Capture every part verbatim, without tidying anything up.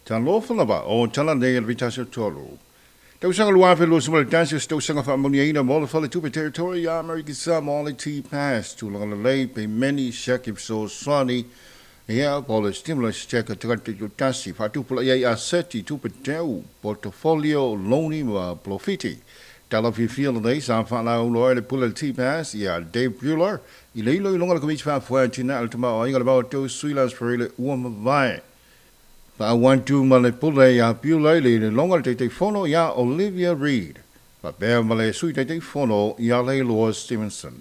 Talofa lava o tala nei le vitasi o tolu. Tausaga lua afe lua sefulu ma le tasi o se tausaga faamanuiaina mo le Faletupe Territory ia Amerika Samoa le T-Pass tulaga lelei peimeni siaki fesoasoani ia po o le stimulus check a tagata taitoatasi faatupulaia ai aseti tupe teu portfolio loni ma polofiti. Tala fiafia lenei sa faalauiloa ai le pule le T-Pass ia Dave Bueller i le iloiloga a le Komiti Faafoe a Atinae o le Tamaoaiga le Vaotou Sui Las Ferreira ua mavae. Faaauau ma le pule ia Bueller i le iloiloga le Taitaifono ia Olivia Reid faapea ma le Sui Taitaifono ia Leiloa Stevenson.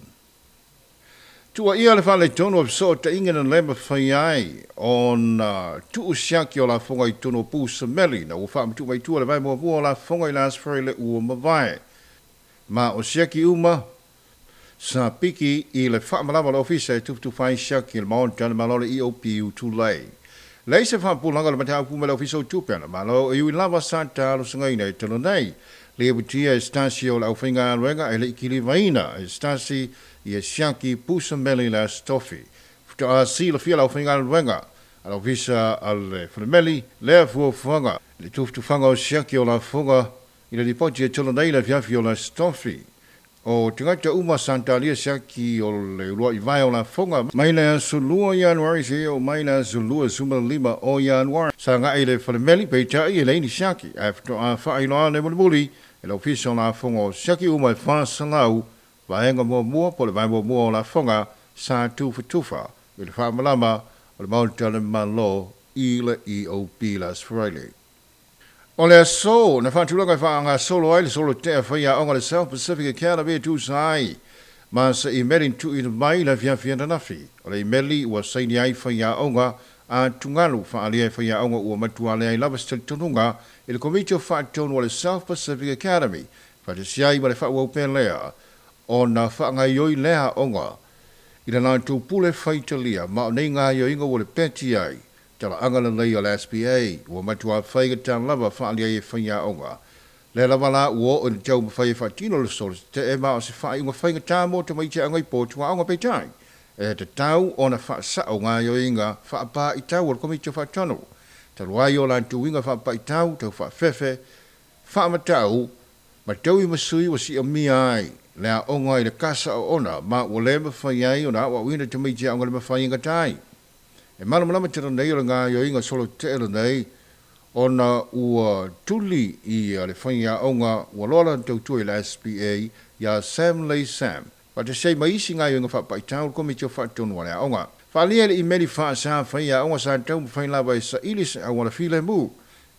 Tuuaia le faaletonu o fesootaiga na le mafai ai ona tuu siaki o lafoga i totonu o pu semeli na ua faamatuu mai tua le vae muamua o lafoga i le Aso Faraile ua mavae. Ma o siaki uma sa piki i le faamalama o le ofisa e tufatufa ai siaki i le Maota le Malo le E O P U Tulei. Leai se faapulaga o le mataupu ma le ofisa o tupe a le Malo e ui lava sa talosagaina e talo nei. Le butia e stasi o le aufaigaluega e le i kilivaina e stasi ia siaki pusameli le aso tofi. Faatoa silafia le aufaigaluega a le ofisa a le falemeli lea fuafuaga le tufatufaga o siaki o lafoga i le lipoti e tolo nei le afiafi o le aso tofi. O tagata uma sa talia siaki o le uluai vae o lafoga mai le aso lua Ianuari seia oo mai le aso lua suma lima o Ianuari. Sa agai le falemeli peitai e leai ni siaki ae faatoa faailoa le mulimuli e le ofisa o lafoga o siaki uma e fasalau vaega muamua po o le vae muamua o lafoga sa tufatufa i le faamalama o le Maota le Malo i le E O P le Aso Faraile. O le aso na faatulaga e faagasolo ai le solo tea faiaoga le South Pacific Academy e tusa ai ma se imeli na tuuina mai le afiafi ananafi. O le imeli ua saini ai faiaoga a tugalu faaalia e faiaoga ua matua leai lava se talitonuga i le Komiti o Faatonu o le South Pacific Academy faatasi ai ma le faaauau pea lea ona faagaioi lea aoga i le latou pule faitalia ma o nei gaioiga ua le peti ai talaaga lelei o le S P A ua matua faigata lava faaalia ai e faiaoga. Le lava la ua oo i le taumafai e faatino le solo tetee ma o se faaiuga faigata mo tamaiti aoga i potu aoga peitai. E tatau ona faasao gaioiga faapaitau o le Komiti o Faatonu. Talu ai o latou uiga faapaitau tau faafefe faamatau ma taui ma sui ua siamia ai le aoga i le kasa oona ma ua le mafai ai ona aoaoina tamaiti aoga le mafai e gatai. E malamalama tele nei o le gaioiga solo tetee lenei ona ua tuli i le faiaoga ua loa lana tautua i le S P A ia Sam Lei Sam. Faatasi ai ma isi gaioiga faapaitau le Komiti o Faatonu a le aoga. Faaalia le imeli faasa faiaoga sa taumafai lava e saili se auala filemu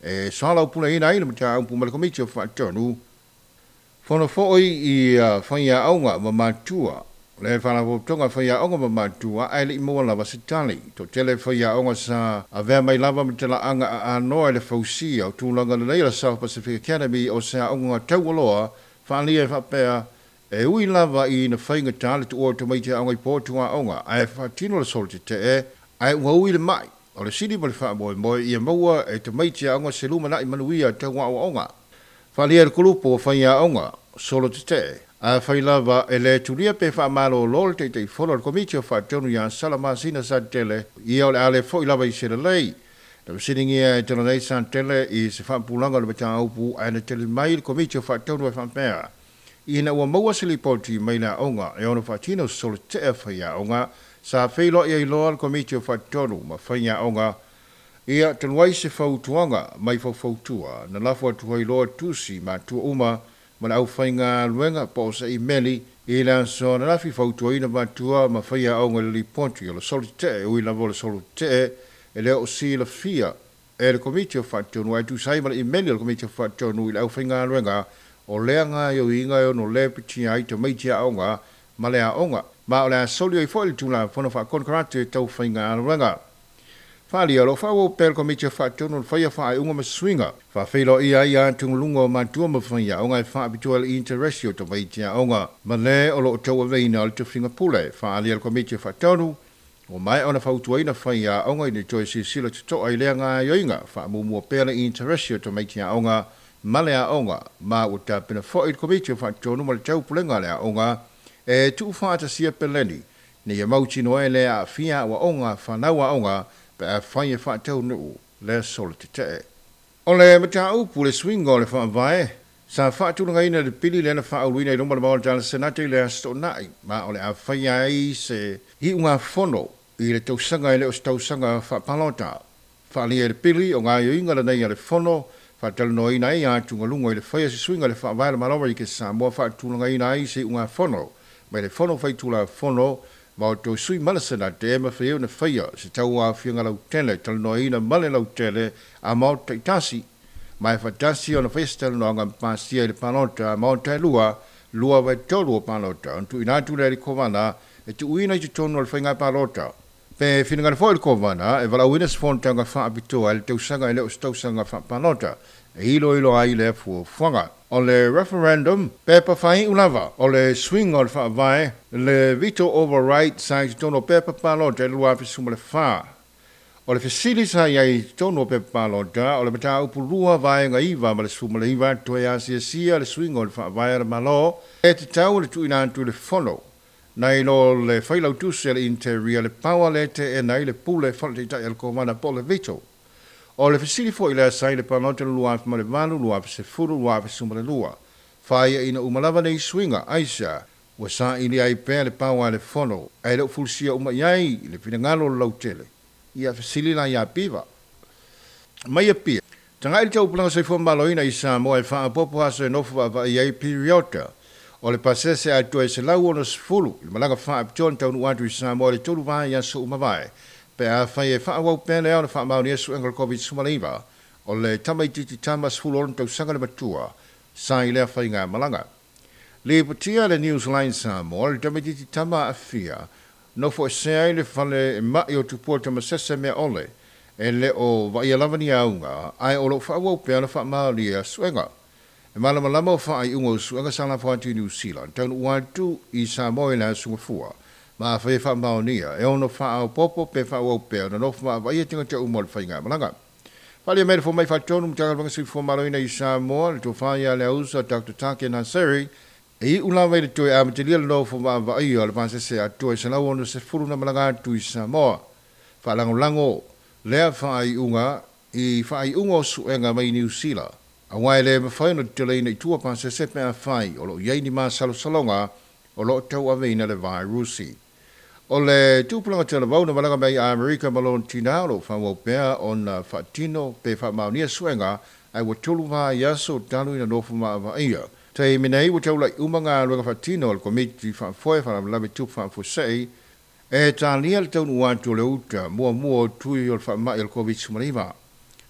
e soalaupuleina ai le mataupu ma le Komiti o Faatonu. Fono foi i faiaoga ma matua. Le faalapotopotoga faiaoga ma matua ae le i maua lava se tali. Toatele faiaoga sa avea mai lava ma talaaga aanoa i le fausia o tulaga lelei o le South Pacific Academy o se aoga taualoa faaalia e faapea e ui lava i na faigata le tuua o tamaiti aoga i potu aoga ae faatino le solo tetee ae ua ui le mai o le sili ma le faamoemoe ia maua e tamaiti aoga se lumanai manuia tau aoaoga. Faaalia le kulupu o faiaoga solo tetee a fai lava e le tulia pe faamalolo le Taitaifono o le Komiti o Faatonu ia Salamasina Satele ia o le a le foi lava i se lelei. Na fesiligia e tala nei Satele i se faapulaga o le mataupu ae na tali mai le Komiti o Faatonu e faapea. Ina ua maua se lipoti mai le aoga e ono faatino solo tetee faiaoga sa feiloai ai loa le Komiti o Faatonu ma faiaoga ia talu ai se fautuaga mai faufautua na lafo atu ai loa tusi matua uma ma le aufaigaluega po o se imeli i le aso ananafi fautuaina matua ma faiaoga i le lipoti o le solo tetee ui lava o le solo tetee e le o silafia e le Komiti o Faatonu ae tusa ai ma le imeli o le Komiti o Faatonu i le aufaigaluega o lea gaioiga e ono lepetia ai tamaiti aoga ma le aoga ma o le a soli ai foi le Tulafono Faakonekarate tau faigaluega. Faaalia o lo o faaauau pea le Komiti o Faatonu le faia faaiuga ma suiga. Faafeiloai ai atugaluga o matua ma faiaoga e faapitoa le interesi o tamaiti aoga ma le o lo o tauaveina o le tofiga pule. Faaalia le Komiti o Faatonu ua maea ona fautuaina faiaoga ina toe silasila totoa i lea gaioiga faamumua pea le interesi o tamaiti aoga ma le aoga ma ua tapena foi le Komiti o Faatonu ma le taupulega a le aoga e tuufaatasia peleni ina ia mautinoa e le aafia aoaoga fanau aoga pe a fai e faataunuu le solo tetee. O le mataupu le suiga o le faavae sa faatulagaina le pili lea na faauluina i luma o le Maota le Senate i le Aso Toonai, ma o le a faia ai se iugafono i le tausaga e le o se tausaga faapalota. Faaalia e le pili o gaoioiga lenei a le fono faatalanoaina ai atugaluga i le faia se suiga i le faavae o le Malo o Amerika Samoa faatulagaina ai se iugafono mai le fono faitulafono ma o toe sui ma le Senate e mafai ai ona faia se tauaofiaga lautele talanoaina ma le lautele a maota taitasi ma e faatasi ona faia se talanoaga ma pasia i le palota a maota e lua, lua vaetolu o palota ona tuuina atu lea i le Kovana e tuuina i totonu o le faiga palota. Pe finagalo foi le Kovana e valaauina se fonotaga faapitoa i le tausaga e le o se tausaga faapalota e iloilo ai lea fuafuaga. O le referendum, pepa faaiu lava o le suiga o le faavae le veto override sa i totonu o pepa palota i le lua afe sefulu ma le fa. O le fesili sa i ai i totonu o pepa palota o le mataupu lua vaega iva ma le sefulu ma le iva toe asiasia le suiga o le faavae a le Malo e tatau le tuuina atu i le fono nai lo le failautusi a le Interior le power le teena ai le pule faletaitai a le Kovana po o le veto. O le fesili foi lea sa i le palota le lua afe ma le valu, lua afe sefulu, lua afe sefulu ma le lua. Faaiaina uma lava nei suiga, aisea, ua saili ai pea le power a le fono, ae le o fulusia uma i ai le finagalo o le lautele. Ia fesili la ia Piva. Mai Apia, tagai le taupulaga soifua malōina i Samoa e faaopoopo aso e nofo vaavaai ai piriota o le pasese atoa e selau onosefulu i le malaga faapitoa na taunuu atu i Samoa i le tolu vaiaso uma vae. Pe afai e faaauau pea le ao na faamaonia suega o le COVID sefuluiva, o le tamaitiiti tama sefulu ono tausaga le matua sa i lea faiga malaga. Lipotia le Newsline Samoa le tamaitiiti tama aafia nofo esea ai le fale e mai o tupua tamasese mea ole e le o vaaia lava ni auga ae o loo faaauau pea ona faamaonia suega. E malamalama o faaiuga o suega sa lafo atu i New Zealand taunuu atu i Samoa i le aso Gafua. Ma afai e faamaonia e ono faaopoopo pe faaauau pea ona nofo vaavaaia tagata uma o le faigamalaga. Faaalia mai le fomai faatonu Matagaluega Soifua Malōina i Samoa le tofa ia le ausa Doctor Take Naseri e iu lava i le toe amatalia le nofo vaavaaia o le pasese atoa e selau onosefulu na malaga atu i Samoa. Faalagolago lea faaiuga i faaiuga o suega mai Niu Sila. Auā e le mafai ona teteleina i tua pasese pe afai o loo i ai ni masalosaloga o loo tauaveina le vairusi. O le tupulaga talavou na malaga mai i Amerika ma lona tinā o loo faaauau pea ona faatino pe faamaonia suega ae ua tolu vaiaso talu ina nofo vaavaaia. Taimi nei ua taulai uma galuega faatino a le Komiti Faafoe Faalavelave Tupu Faafuasei e talia le taunuu atu o le uta muamua o tui o le faamai o le COVID sefuluiva.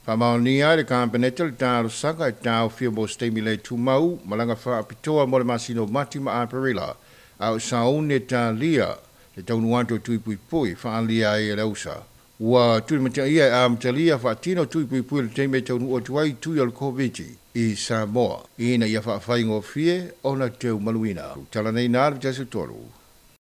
Faamaonia ai le Kapeneta le talosaga e taofia mo se taimi le tumau malaga faapitoa mo le masina o Mati ma Aperila a o sauni e talia le taunuu atu o tui puipui faaalia ai e le ausa. Ua tulimataia e amatalia faatino tui puipui le taimi e taunuu atu ai tui o le COVID i Samoa ina ia faafaigofie ona teumaluina. Tala nei na le tasi tolu.